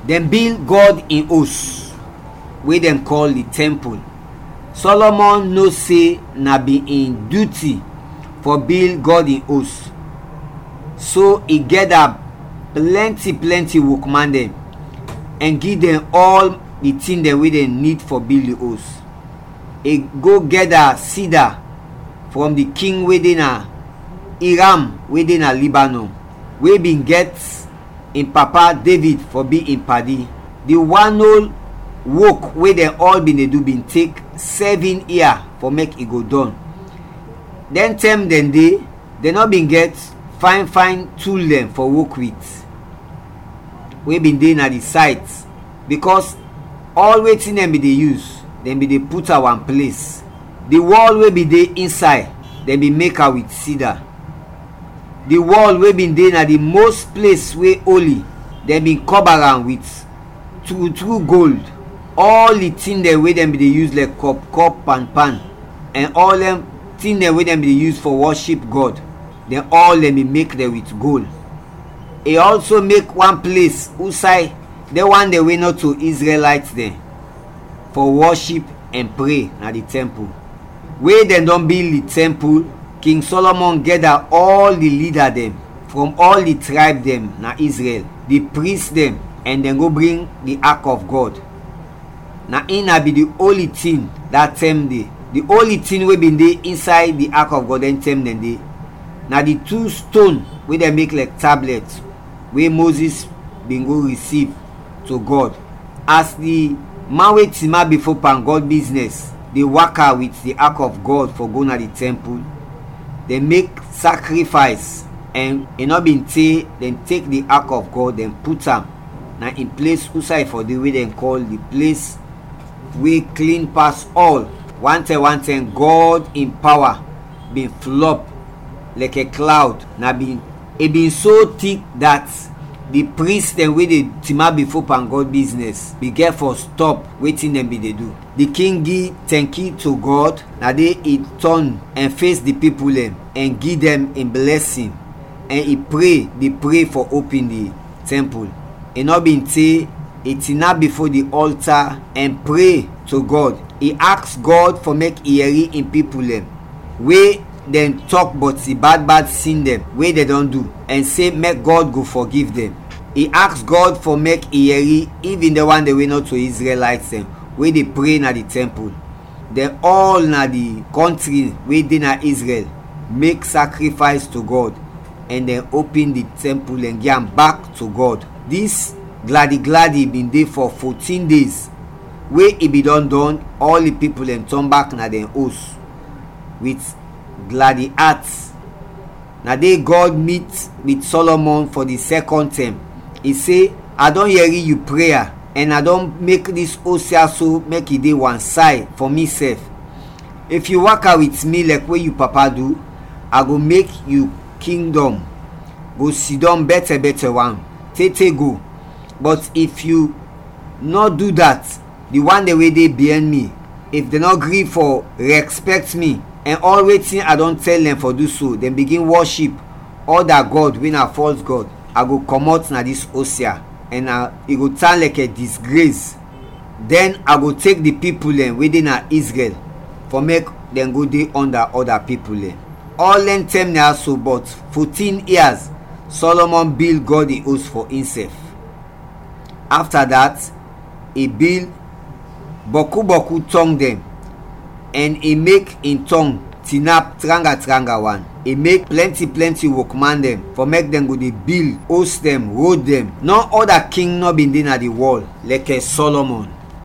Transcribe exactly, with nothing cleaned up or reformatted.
Dɛn bil Gɔd in os, we dɛn kɔl di tɛmpul. Sɔlɔmɔn no se na bin in duti fɔ bil Gɔd in os, so i gɛda plɛnti plɛnti wokman dɛn ɛn gi dɛn ɔl di tin dɛn we dɛn nid fɔ bil di os. I go gɛda sida frɔm di king we de na Iram we de na Libanɔn, we bin gɛt in papa Devid fɔ bi in padi. Di wan ol wok we dɛn ɔl bin de du bin tek sɛvin ia fɔ mek i go dɔn. Dɛn tɛm dɛn de, dɛn nɔ bin gɛt fayn fayn tul dɛn fɔ wok wit we bin de na di sayt, bikɔs ɔl wetin dɛn bin de yus, dɛn bin de put am wan ples. Di wɔl we bin de insay, dɛn bin mek am wit sida. Di wɔl we bin de na di mos ples we oli, dɛn bin kɔba am wit tru tru gold. Ɔl di tin dɛn we dɛn bin de yus lɛk kɔp kɔp, pan pan, ɛn ɔl dɛn tin dɛn we dɛn bin de yus fɔ wɔship Gɔd, dɛn ɔl dɛn bin mek dɛn wit gol. I ɔlso mek wan ples usay dɛn wan dɛn we nɔto Izrɛlayt dɛn fɔ wɔship ɛn pre na di tɛmpul. We dɛn dɔn bil di tɛmpul, King Sɔlɔmɔn gɛda ɔl di lida dɛn frɔm ɔl di trayb dɛn na Izrɛl, di pris dɛn, ɛn dɛn go bring di Ak of Gɔd. Na in na bin di oli tin da tɛm de. Di oli tin we bin de insay di Ak of Gɔd dɛn tɛm dɛn de, na di tu ston we dɛn mek lɛk tablɛt, we Mozis bin go risiv to Gɔd. As di man we tinap bifo pan Gɔd biznɛs de waka wit di Ak of Gɔd fɔ go na di tɛmpul, dɛn mek sakrifays, ɛn i nɔ bin te dɛn tek di Ak of Gɔd, dɛn put am na in ples usay fɔ de, we dɛn kɔl di Ples we Klin Pas Ɔl. Wantɛm wantɛm, Gɔd in pawa bin flɔp lɛkɛ klawd, na bin i bin so tik dat di pris dɛn we de tinap bifo pan Gɔd biznɛs bin gɛt fɔ stɔp wetin dɛn bin de du. Di king gi tɛnki to Gɔd, na de i tɔn ɛn fes di pipul dɛn ɛn gi dɛn in blɛsin, ɛn i pre di pre fɔ opin di tɛmpul. I nɔ bin te, i tinap bifo di ɔlta ɛn pre to Gɔd. I aks Gɔd fɔ mek i yɛri in pipul dɛn we dɛn tɔk bɔt di bad bad sin dɛn we dɛn dɔn du, ɛn se mɛk Gɔd go fɔgiv dɛn. I aks Gɔd fɔ mek i yɛri ivin dɛn wan dɛn we nɔto Izrɛlayt dɛn we de pre na di tɛmpul. Dɛn ɔl na di kɔntri we de na Izrɛl mek sakrifays to Gɔd, ɛn dɛn opin di tɛmpul ɛn gi am bak to Gɔd. Dis gladi gladi bin de fɔ fotin dez. We i bin dɔn dɔn, ɔl di pipul dɛn tɔn bak na dɛn os wit gladi at. Na de Gɔd mit wit Sɔlɔmɔn fɔ di sɛkɔn tɛm. I se, "A dɔn yɛri yu preya, ɛn a dɔn mek dis os ya so mek i de wan say fɔ misɛf. If yu waka wit mi lɛk we yu papa du, a go mek yu kingdɔm go sidɔm bɛtɛ bɛtɛ wan, te te go. Bɔt if yu nɔ du dat, di wan dɛn we de biɛn mi, if dɛn nɔ gri fɔ rɛspɛkt mi, ɛn ɔl wetin a dɔn tɛl dɛn fɔ du so, dɛn bigin wɔship ɔda gɔd we na fɔls gɔd, a go kɔmɔt na dis os ya, ɛn a, i go tan lɛkɛ disgres. Dɛn a go tek di pipul dɛn we de na Izrɛl fɔ mek dɛn go de ɔnda ɔda pipul dɛn." Ɔl dɛn tɛm naya so bɔt fotin ia, Sɔlɔmɔn bil Gɔd in os fɔ insɛf. Afta dat, i bil bɔku bɔku tɔng dɛn, ɛn i mek in tɔng tinap tranga tranga wan. I mek plɛnti plɛnti wokman dɛn fɔ mek dɛn go de bil os dɛn, rod dɛn. Nɔ ɔda king nɔ bin de na di wɔl lɛkɛ Sɔlɔmɔn.